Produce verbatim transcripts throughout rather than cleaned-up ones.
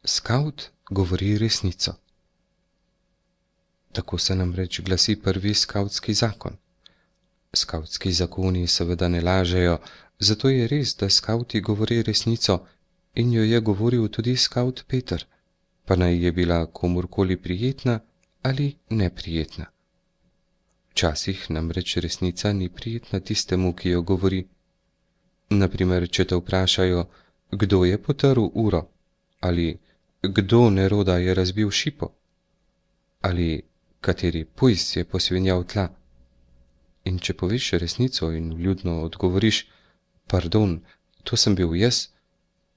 Skavt govori resnico. Tako se namreč glasi prvi skavtski zakon. Skavtski zakoni seveda ne lažejo, zato je res, da skavti govori resnico in jo je govoril tudi skavt Peter, pa naj je bila komurkoli prijetna ali neprijetna. Včasih namreč resnica ni prijetna tistemu, ki jo govori. Naprimer, če te vprašajo, kdo je potrl uro, ali kdo Neroda je razbil šipo, ali kateri pujs je posvinjal tla. In če poveš resnico in vljudno odgovoriš, pardon, to sem bil jaz,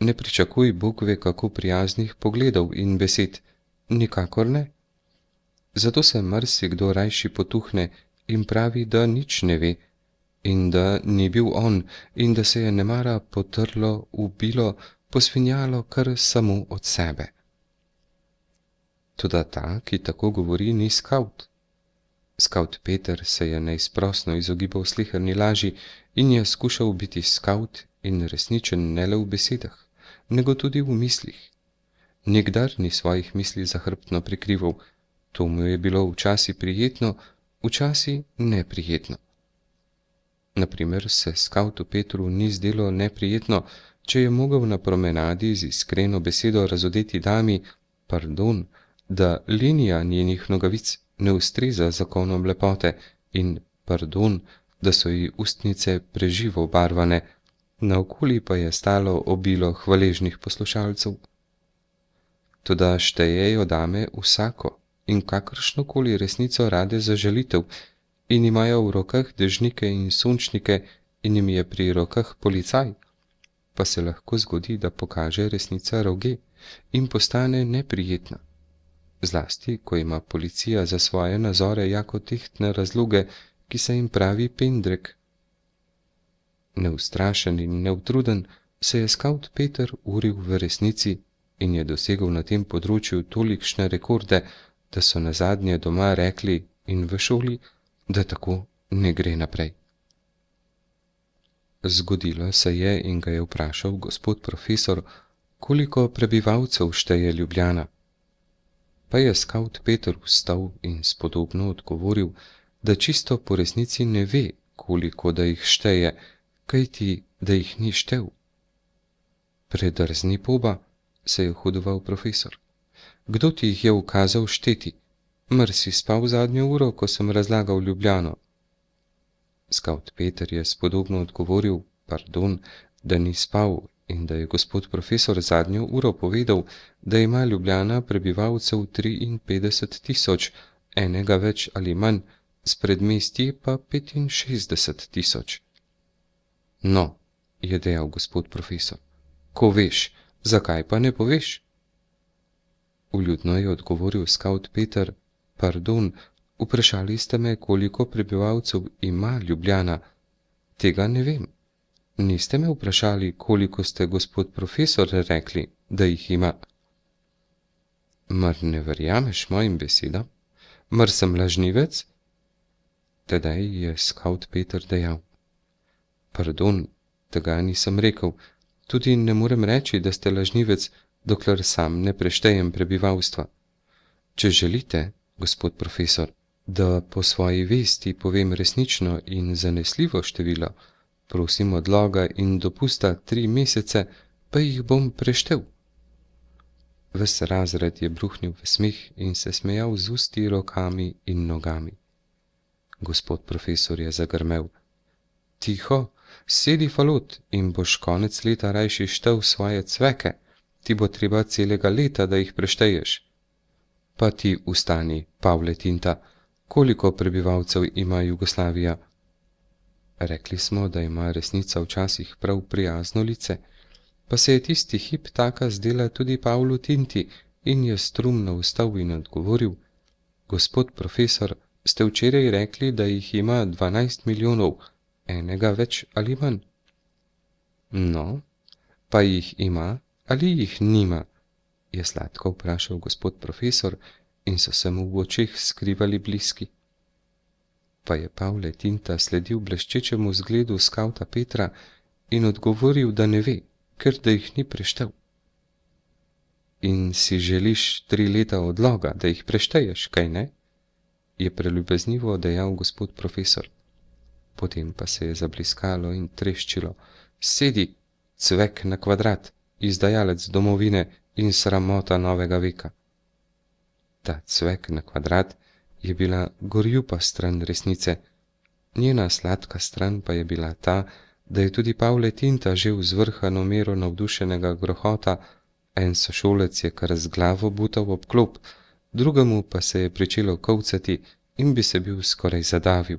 ne pričakuj Bog ve kako prijaznih pogledov in besed, nikakor ne. Zato se marsikdo rajši potuhne in pravi, da nič ne ve, in da ni bil on, in da se je nemara potrlo, ubilo, posvinjalo kar samo od sebe. Toda ta, ki tako govori, ni skavt. Skavt Peter se je neizprosno izogibal sleherni laži in je skušal biti skavt in resničen ne le v besedah, nego tudi v mislih. Nikdar ni svojih misli zahrbtno prikrival, to mu je bilo včasih prijetno, včasih neprijetno. Naprimer se skavtu Petru ni zdelo neprijetno, če je mogel na promenadi z iskreno besedo razodeti dami, pardon, da linija njenih nogavic ne ustreza zakonom lepote in, pardon, da so ji ustnice preživo obarvane, naokoli pa je stalo obilo hvaležnih poslušalcev. Toda štejejo dame vsako in kakršnokoli resnico rade za žalitev in imajo v rokah dežnike in sončnike in jim je pri rokah policaj, pa se lahko zgodi, da pokaže resnica roge in postane neprijetna. Zlasti, ko ima policija za svoje nazore jako tehtne razloge, ki se jim pravi pendrek. Neustrašen in neutruden se je skavt Peter uril v resnici in je dosegel na tem področju tolikšne rekorde, da so nazadnje doma rekli in v šoli, da tako ne gre naprej. Zgodilo se je in ga je vprašal gospod profesor, koliko prebivalcev šteje Ljubljana. Pa je skavt Peter vstal in spodobno odgovoril, da čisto po resnici ne ve, koliko da jih šteje, kajti da jih ni štel. Predrzni poba, se je hudoval profesor. Kdo ti jih je ukazal šteti? Mar si spal zadnjo uro, ko sem razlagal Ljubljano? Skavt Peter je spodobno odgovoril, pardon, da ni spal in da je gospod profesor zadnjo uro povedal, da ima Ljubljana prebivalcev triinpetdeset tisoč, enega več ali manj, s predmestji pa petinšestdeset tisoč. No, je dejal gospod profesor, ko veš, zakaj pa ne poveš? Vljudno je odgovoril skavt Peter, pardon, vprašali ste me, koliko prebivalcev ima Ljubljana. Tega ne vem. Niste me vprašali, koliko ste, gospod profesor, rekli, da jih ima. Mar ne verjameš mojim besedam? Mar sem lažnivec? Tedaj je skavt Peter dejal. Pardon, tega nisem rekel, tudi ne morem reči, da ste lažnivec, dokler sam ne preštejem prebivalstva. Če želite, gospod profesor, da po svoji vesti povem resnično in zanesljivo število, prosim odloga in dopusta tri mesece, pa jih bom preštel. Ves razred je bruhnil v smeh in se smejal z usti, rokami in nogami. Gospod profesor je zagrmel. Tiho, sedi falot in boš konec leta rajši štel svoje cveke, ti bo treba celega leta, da jih prešteješ. Pa ti ustani, Pavle Tinta, koliko prebivalcev ima Jugoslavija? Rekli smo, da ima resnica včasih prav prijazno lice, pa se je tisti hip taka zdela tudi Pavlu Tinti in je strumno vstal in odgovoril, gospod profesor, ste včeraj rekli, da jih ima dvanajst milijonov, enega več ali manj. No, pa jih ima ali jih nima, je sladko vprašal gospod profesor in so se mu v očeh skrivali bliski. Pa je Pavle Tinta sledil bleščečemu zgledu skavta Petra in odgovoril, da ne ve, ker da jih ni preštel. In si želiš tri leta odloga, da jih prešteješ, kaj ne? Je preljubeznivo dejal gospod profesor. Potem pa se je zabliskalo in treščilo. Sedi, cvek na kvadrat, izdajalec domovine in sramota novega veka. Ta cvek na kvadrat je bila gorjupa stran resnice, njena sladka stran pa je bila ta, da je tudi Pavle Tinta živ z vrhano mero navdušenega grohota, en sošolec je kar z glavo butal ob klop, drugemu pa se je pričelo kolcati in bi se bil skoraj zadavil.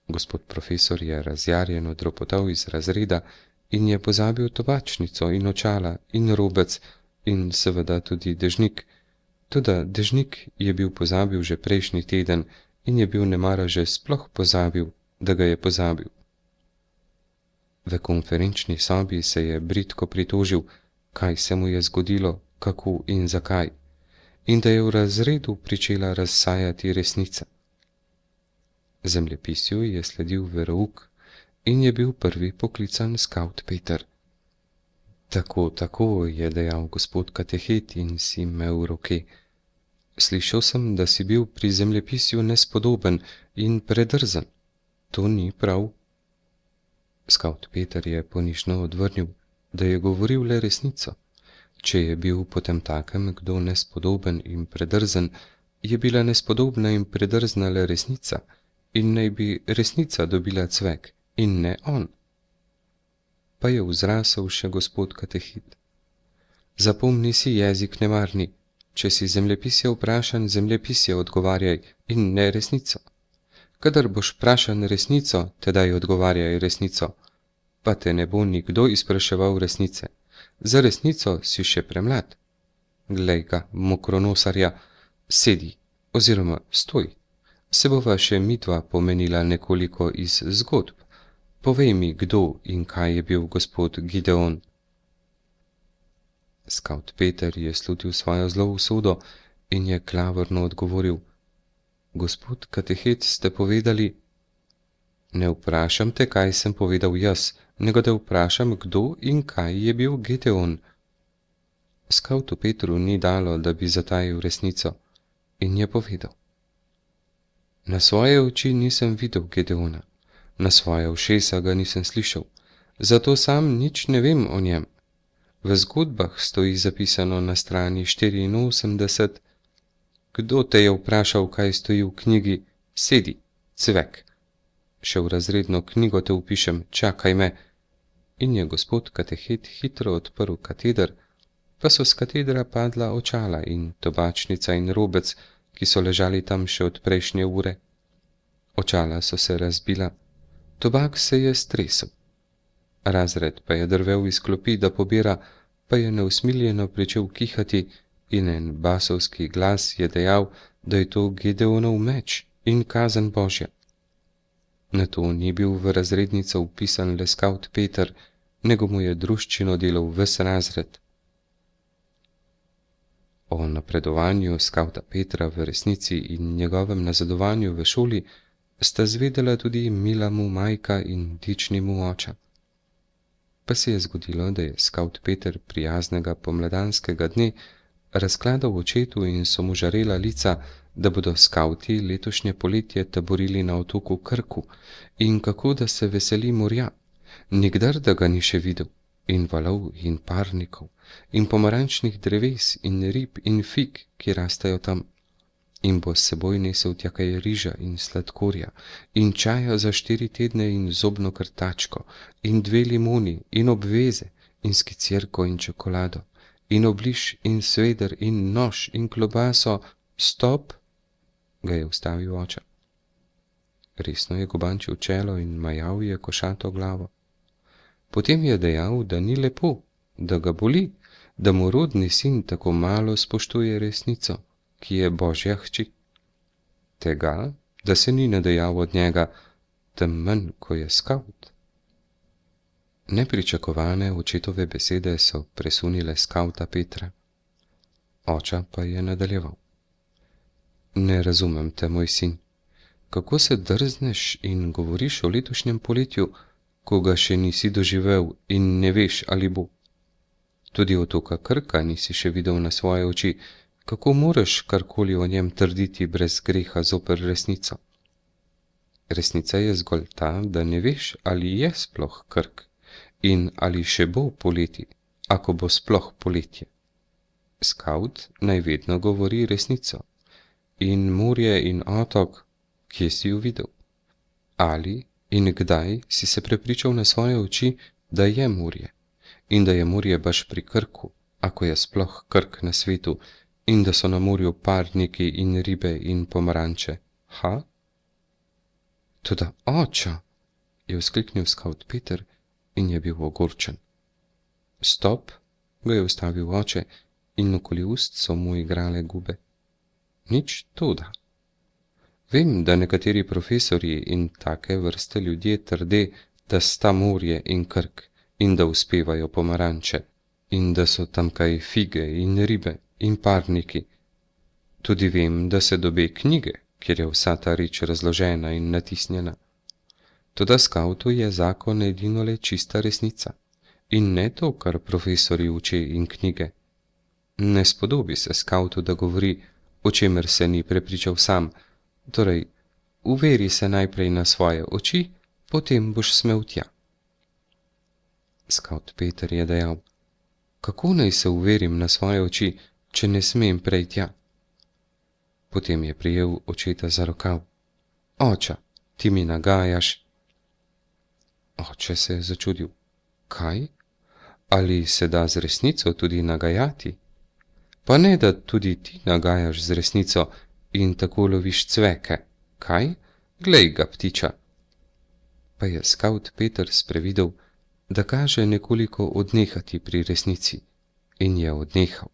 Gospod profesor je razjarjeno dropotal iz razreda in je pozabil tobačnico in očala in robec in seveda tudi dežnik, toda dežnik je bil pozabil že prejšnji teden in je bil nemara že sploh pozabil, da ga je pozabil. V konferenčni sobi se je bridko pritožil, kaj se mu je zgodilo, kako in zakaj, in da je v razredu pričela razsajati resnica. Zemljepisju je sledil verouk in je bil prvi poklican skavt Peter. Tako, tako, je dejal gospod katehet in si imel roke. Slišal sem, da si bil pri zemljepisju nespodoben in predrzen. To ni prav. Skavt Peter je ponižno odvrnil, da je govoril le resnico. Če je bil potem takem kdo nespodoben in predrzen, je bila nespodobna in predrzna le resnica in naj bi resnica dobila cvek in ne on. Pa je vzrasel še gospod katehit. Zapomni si jezik nemarni, če si zemljepisje vprašan, zemljepisje odgovarjaj in ne resnico. Kadar boš vprašan resnico, tedaj odgovarjaj resnico, pa te ne bo nikdo izpraševal resnice. Za resnico si še premlad. Glej ga, mokronosarja, sedi oziroma stoj. Se bova še midva pomenila nekoliko iz zgodb. Povej mi, kdo in kaj je bil gospod Gideon. Skavt Peter je slutil svojo zlo usodo in je klavrno odgovoril. Gospod katehet, ste povedali. Ne vprašam te, kaj sem povedal jaz, nego te vprašam, kdo in kaj je bil Gideon. Skavtu Petru ni dalo, da bi zatajil resnico, in je povedal. Na svoje oči nisem videl Gideona, na svoje ušesa ga nisem slišal, zato sam nič ne vem o njem. V zgodbah stoji zapisano na strani štiriinosemdeset. Kdo te je vprašal, kaj stoji v knjigi? Sedi, cvek. Še v razredno knjigo te upišem, čakaj me. In je gospod katehet hitro odprl kateder, pa so z katedra padla očala in tobačnica in robec, ki so ležali tam še od prejšnje ure. Očala so se razbila, tobak se je stresel. Razred pa je drvel iz klopi, da pobira, pa je neusmiljeno pričel kihati in en basovski glas je dejal, da je to Gideonov meč in kazen Božja. Na to ni bil v razrednico vpisan le skavt Peter, nego mu je druščino delal ves razred. O napredovanju skavta Petra v resnici in njegovem nazadovanju v šoli sta zvedela tudi mila mu majka in dični mu oča. Pa se je zgodilo, da je skavt Peter prijaznega pomladanskega dne razkladal očetu in so mu žarela lica, da bodo skavti letošnje poletje taborili na otoku Krku in kako da se veseli morja, nikdar da ga ni še videl, in valov in parnikov, in pomarančnih dreves in rib in fig, ki rastajo tam, in bo s seboj nesel tja kaj riža in sladkorja, in čaja za štiri tedne in zobno krtačko, in dve limoni in obveze, in skicirko in čokolado, in obliž in sveder in nož in klobaso. Stop, ga je ustavil oče. Resno je gobančil čelo in majal je košato glavo. Potem je dejal, da ni lepo, da ga boli, da mu rodni sin tako malo spoštuje resnico, ki je Božja hči. Tega, da se ni nadejal od njega, tem manj, ko je skavt. Nepričakovane očetove besede so presunile skavta Petra. Oča pa je nadaljeval. Ne razumem te, moj sin. Kako se drzneš in govoriš o letošnjem poletju, ko ga še nisi doživel in ne veš, ali bo? Tudi otoka Krka nisi še videl na svoje oči, kako moreš karkoli o njem trditi brez greha zoper resnico? Resnica je zgolj ta, da ne veš, ali je sploh Krk in ali še bo poleti, ako bo sploh poletje. Skavt naj vedno govori resnico. In morje in otok, kje si jo videl? Ali in kdaj si se prepričal na svoje oči, da je morje in da je morje baš pri Krku, ako je sploh Krk na svetu, in da so na morju parniki in ribe in pomaranče, ha? Toda oča, je vzkliknil skavt Peter in je bil ogorčen. Stop, ga je ustavil oče in okoli ust so mu igrale gube. Nič toda. Vem, da nekateri profesorji in take vrste ljudje trde, da sta morje in Krk in da uspevajo pomaranče in da so tamkaj fige in ribe in parniki. Tudi vem, da se dobe knjige, kjer je vsa ta reč razložena in natisnjena. Toda skavtu je zakon edinole čista resnica in ne to, kar profesori uči in knjige. Ne spodobi se skavtu, da govori, o čemer se ni prepričal sam, torej, uveri se najprej na svoje oči, potem boš smel tja. Skavt Peter je dejal, kako naj se uverim na svoje oči, če ne smem prej tja? Potem je prijel očeta za rokav. Oča, ti mi nagajaš. Oče se je začudil. Kaj? Ali se da z resnico tudi nagajati? Pa ne, da tudi ti nagajaš z resnico in tako loviš cveke, kaj? Glej ga, ptiča. Pa je skavt Peter sprevidel, da kaže nekoliko odnehati pri resnici in je odnehal.